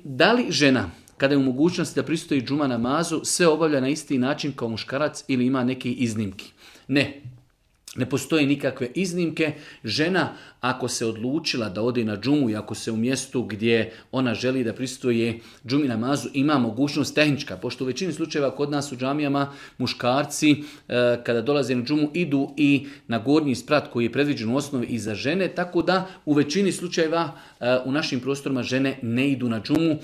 Da li žena, kada je u mogućnosti da pristoji džuma namazu, sve obavlja na isti način kao muškarac ili ima neke iznimke? Ne postoje nikakve iznimke. Žena, ako se odlučila da ode na džumu i ako se u mjestu gdje ona želi da pristoje džumi namazu, ima mogućnost tehnička. Pošto u većini slučajeva kod nas u džamijama muškarci kada dolaze na džumu idu i na gornji sprat koji je predviđen u osnovi i za žene, tako da u većini slučajeva u našim prostorima žene ne idu na džumu.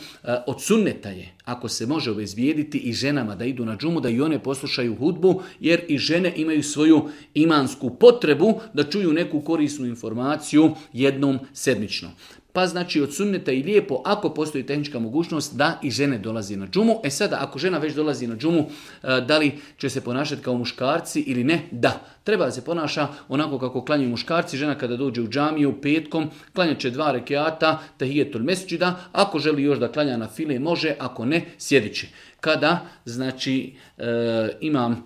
Od sunneta je, ako se može obezbijediti i ženama da idu na džumu, da i one poslušaju hudbu, jer i žene imaju svoju imansku potrebu da čuju neku korisnu informaciju jednom sedmično. Pa znači od sunneta i lijepo, ako postoji tehnička mogućnost, da i žene dolazi na džumu. Sada, ako žena već dolazi na džumu, da li će se ponašati kao muškarci ili ne? Da, treba da se ponaša onako kako klanjaju muškarci. Žena kada dođe u džamiju petkom, klanjat će 2 rekiata, tahijetul mesdžida. Ako želi još da klanja na file, može, ako ne, sjedit će. Kada, znači, imam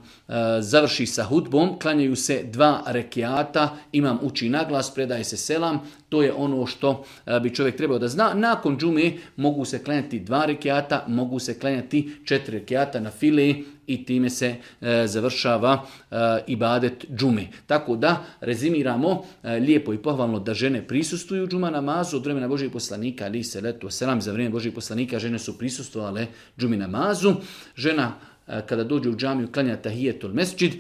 završi sa hudbom, klanjaju se 2 rekiata, imam uči naglas, predaje se selam, to je ono što bi čovjek trebao da zna. Nakon džume mogu se klanjati 2 rekiata, mogu se klanjati 4 rekiata na file i time se završava ibadet džume. Tako da rezimiramo, lijepo i pohvalno da žene prisustvuju džuma namazu od vremena Božijeg poslanika, ali se letu selam, za vrijeme Božijeg poslanika žene su prisustvovale džumi namazu. Žena kada dođe u džamiju klanja tahijetul mesdžid,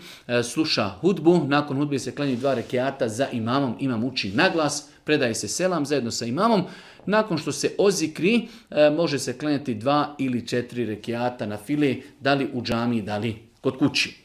sluša hudbu, nakon hudbe se klanjaju 2 rekiata za imamom, imam uči naglas, predaje se selam zajedno sa imamom. Nakon što se ozikri, može se klanjati 2 ili 4 rekiata na file, da li u džamiji, da li kod kući.